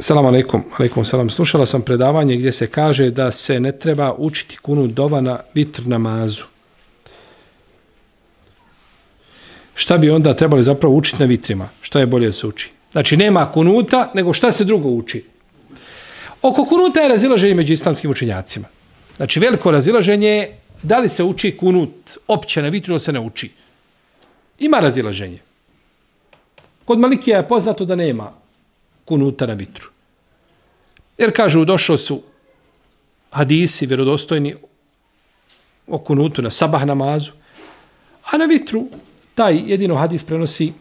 Selam alejkum, alejkum selam. Slušala sam predavanje gdje se kaže da se ne treba učiti kunut dova na vitr namazu. Šta bi onda trebali zapravo učiti na vitrima? Šta je bolje da se uči? Znači nema kunuta, nego šta se drugo uči? Oko kunuta je razilaženje među islamskim učenjacima. Znači veliko razilaženje je da li se uči kunut opće na vitru ili se ne uči. Ima razilaženje. Kod Malikija je poznato da nema kunuta na vitru. Jer kažu, došli su hadisi vjerodostojni o kunutu na sabah namazu, a na vitru taj jedino hadis prenosi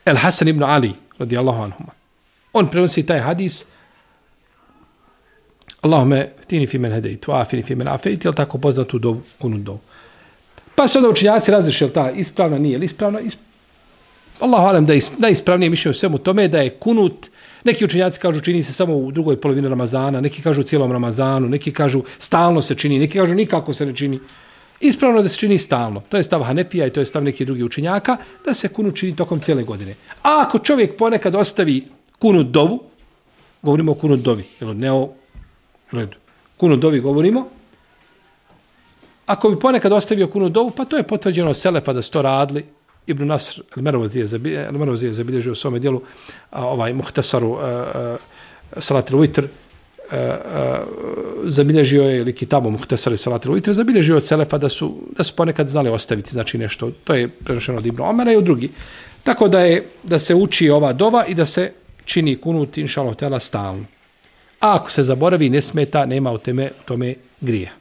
El Hasan ibn Ali, radijallahu anhuma. On prenosi taj hadis Allahume htini fi men hedejtu, afini fi men afejti, jel tako poznatu dovu, kunut dovu. Pa se onda učenjaci različili, ta ispravna nije, ili ispravna, Allahu alem da je najispravnije mišljenje u svemu tome da je kunut, neki učenjaci kažu čini se samo u drugoj polovini Ramazana, neki kažu u cijelom Ramazanu, neki kažu stalno se čini, neki kažu nikako se ne čini. Ispravno da se čini stalno. To je stav Hanefija i to je stav nekih drugih učenjaka, da se kunut čini tokom cijele godine. A ako čovjek ponekad ostavi kunut dovu, govorimo o kunut dovi, ne o redu. Kunut dovi govorimo, ako bi ponekad ostavio kunut dovu, pa to je potvrđeno od Selefa da su to radili. Ibn Nasr al-Merwazi je zabilježio u svome dijelu Muhtasaru Salat al-Witr, zabilježio je ili kitabu Muhtasar Salat al-Witr, zabilježio od Selefa da su ponekad znali ostaviti, znači nešto, to je prenošeno od Ibn Omara i od drugi. Tako da se uči ova dova i da se čini kunut, inšallah, stalno. A ako se zaboravi, ne smeta, nema u tome grija.